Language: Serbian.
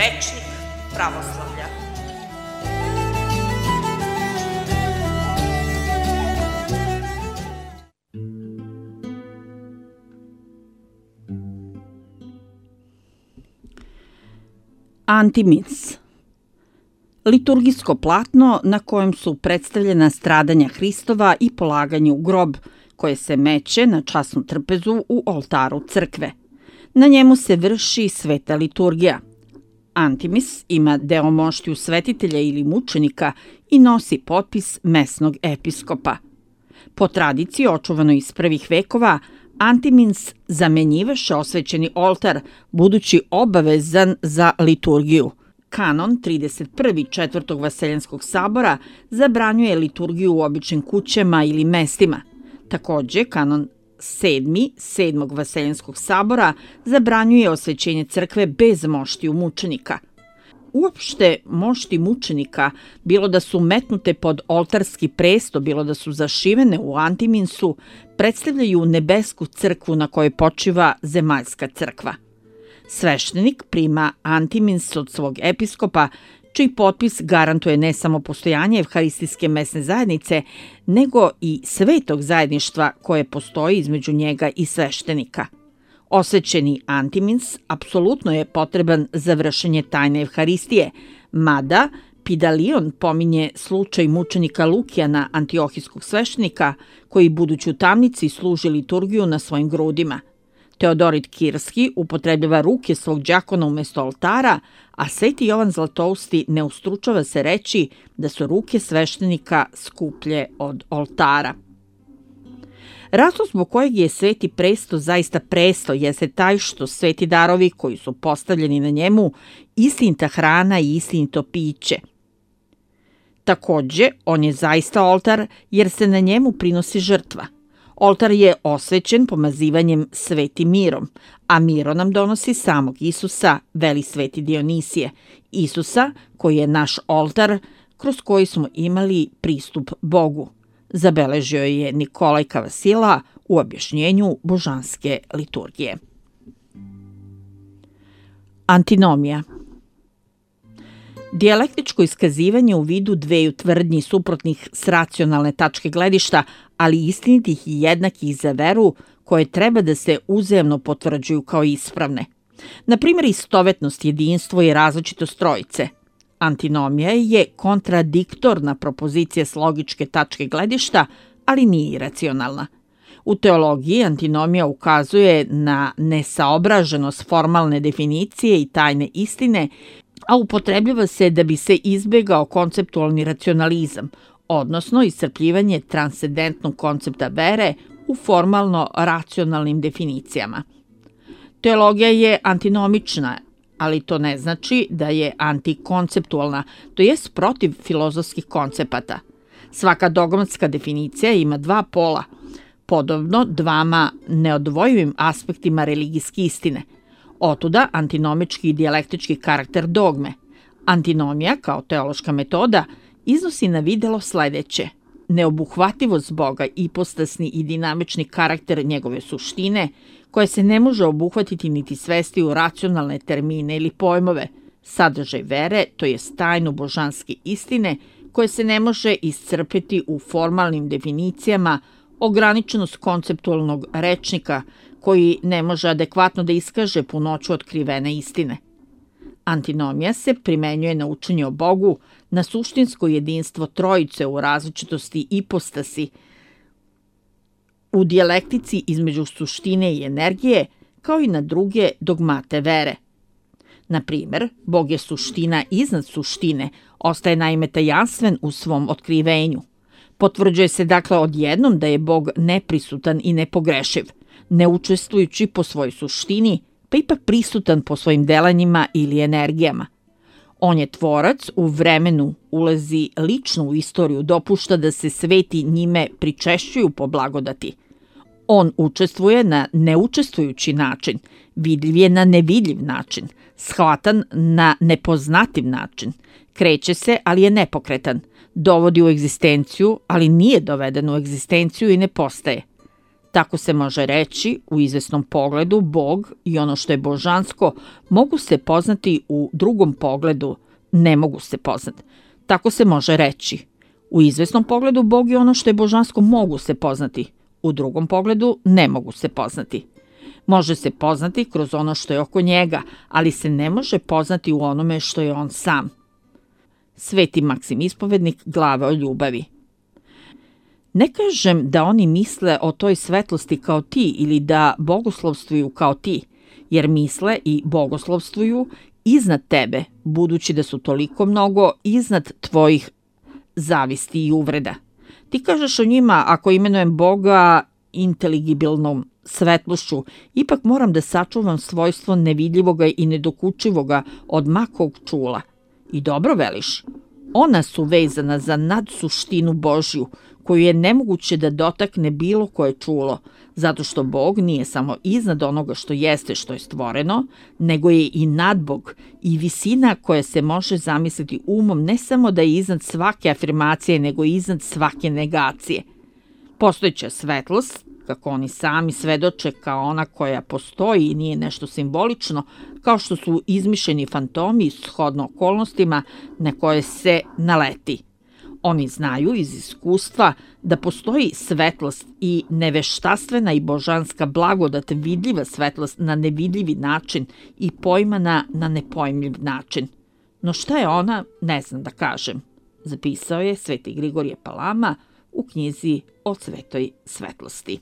rečnik pravoslavlja. Antimins. Liturgijsko platno na kojem su predstavljena stradanja Hristova i polaganje u grob, koje se meće na časnu trpezu u oltaru crkve. Na njemu se vrši sveta liturgija. Antimis ima deo moštiju svetitelja ili mučenika i nosi potpis mesnog episkopa. Po tradiciji, očuvanoj iz prvih vekova, Antimins zamenjivaše osvećeni oltar, budući obavezan za liturgiju. Kanon 31. Četvrtog Vaseljenskog sabora zabranjuje liturgiju u običnim kućama ili mestima. Takođe, kanon 7. 7. Vaseljenskog sabora zabranjuje osvećenje crkve bez moštiju mučenika. Uopšte, mošti mučenika, bilo da su metnute pod oltarski presto, bilo da su zašivene u antiminsu, predstavljaju nebesku crkvu na kojoj počiva zemaljska crkva. Sveštenik prima antimins od svog episkopa, čiji potpis garantuje ne samo postojanje evharistijske mesne zajednice, nego i svetog zajedništva koje postoji između njega i sveštenika. Osvećeni antimins apsolutno je potreban za vršenje tajne evharistije, mada Pidalion pominje slučaj mučenika Lukijana, antiohijskog sveštenika, koji budući u tamnici služi liturgiju na svojim grudima. Teodorit Kirski upotrebljava ruke svog đakona umesto oltara, a Sveti Jovan Zlatousti ne ustručava se reći da su ruke sveštenika skuplje od oltara. Razlog zbog kojeg je sveti presto zaista presto jeste taj što sveti darovi koji su postavljeni na njemu istinita hrana i istinito piće. Takođe, on je zaista oltar jer se na njemu prinosi žrtva. Oltar je osvećen pomazivanjem svetim mirom, a miro nam donosi samog Isusa, veli sveti Dionisije, Isusa koji je naš oltar kroz koji smo imali pristup Bogu. Zabeležio je Nikolaj Kavasila u objašnjenju božanske liturgije. Antinomija. Dijalektičko iskazivanje u vidu dveju tvrdnji suprotnih s racionalne tačke gledišta, ali istinitih i jednakih za veru, koje treba da se uzajamno potvrđuju kao ispravne. Na primjer, istovetnost, jedinstvo i različitost trojice. Antinomija je kontradiktorna propozicija s logičke tačke gledišta, ali nije iracionalna. U teologiji antinomija ukazuje na nesaobraženost formalne definicije i tajne istine, a upotrebljava se da bi se izbegao konceptualni racionalizam, odnosno iscrpljivanje transcendentnog koncepta vere u formalno-racionalnim definicijama. Teologija je antinomična, ali to ne znači da je antikonceptualna, to jest protiv filozofskih koncepata. Svaka dogmatska definicija ima dva pola, podobno dvama neodvojivim aspektima religijske istine. Otuda antinomički i dijalektički karakter dogme. Antinomija, kao teološka metoda, iznosi na videlo sledeće: neobuhvativost Boga, ipostasni i dinamični karakter njegove suštine, koje se ne može obuhvatiti niti svesti u racionalne termine ili pojmove, sadržaj vere, to je tajnu božanske istine, koje se ne može iscrpeti u formalnim definicijama, ograničenost konceptualnog rečnika, koji ne može adekvatno da iskaže punoću otkrivene istine. Antinomija se primenjuje na učenje o Bogu, na suštinsko jedinstvo trojice u različitosti ipostasi, u dijalektici između suštine i energije, kao i na druge dogmate vere. Na primer, Bog je suština iznad suštine, ostaje naime tajanstven u svom otkrivenju. Potvrđuje se dakle odjednom da je Bog neprisutan i nepogrešiv, ne učestvujući po svojoj suštini, pa ipak prisutan po svojim delanjima ili energijama. On je tvorac, u vremenu ulazi lično u istoriju, dopušta da se sveti njime pričešćuju po blagodati. On učestvuje na neučestvujući način, vidljiv je na nevidljiv način, shvatan na nepoznativ način, kreće se, ali je nepokretan, dovodi u egzistenciju, ali nije doveden u egzistenciju i ne postaje. Tako se može reći, u izvesnom pogledu Bog i ono što je božansko mogu se poznati, u drugom pogledu ne mogu se poznati. Tako se može reći, u izvesnom pogledu Bog i ono što je božansko mogu se poznati, u drugom pogledu ne mogu se poznati. Može se poznati kroz ono što je oko njega, ali se ne može poznati u onome što je on sam. Sveti Maksim Ispovednik, Glava o ljubavi. Ne kažem da oni misle o toj svetlosti kao ti ili da bogoslovstvuju kao ti, jer misle i bogoslovstvuju iznad tebe, budući da su toliko mnogo iznad tvojih zavisti i uvreda. Ti kažeš o njima, ako imenujem Boga inteligibilnom svetlošću, ipak moram da sačuvam svojstvo nevidljivoga i nedokučivoga od makog čula. I dobro veliš. Ona su vezana za nadsuštinu Božju, koju je nemoguće da dotakne bilo koje čulo, zato što Bog nije samo iznad onoga što jeste, što je stvoreno, nego je i nadbog i visina koja se može zamisliti umom, ne samo da je iznad svake afirmacije, nego i iznad svake negacije. Postojeća svetlost, kako oni sami svedoče, kao ona koja postoji i nije nešto simbolično, kao što su izmišljeni fantomi shodno okolnostima na koje se naleti. Oni znaju iz iskustva da postoji svetlost i neveštastvena i božanska blagodat, vidljiva svetlost na nevidljivi način i pojmana na nepojmljiv način. No šta je ona, ne znam da kažem, zapisao je Sveti Grigorije Palama u knjizi o svetoj svetlosti.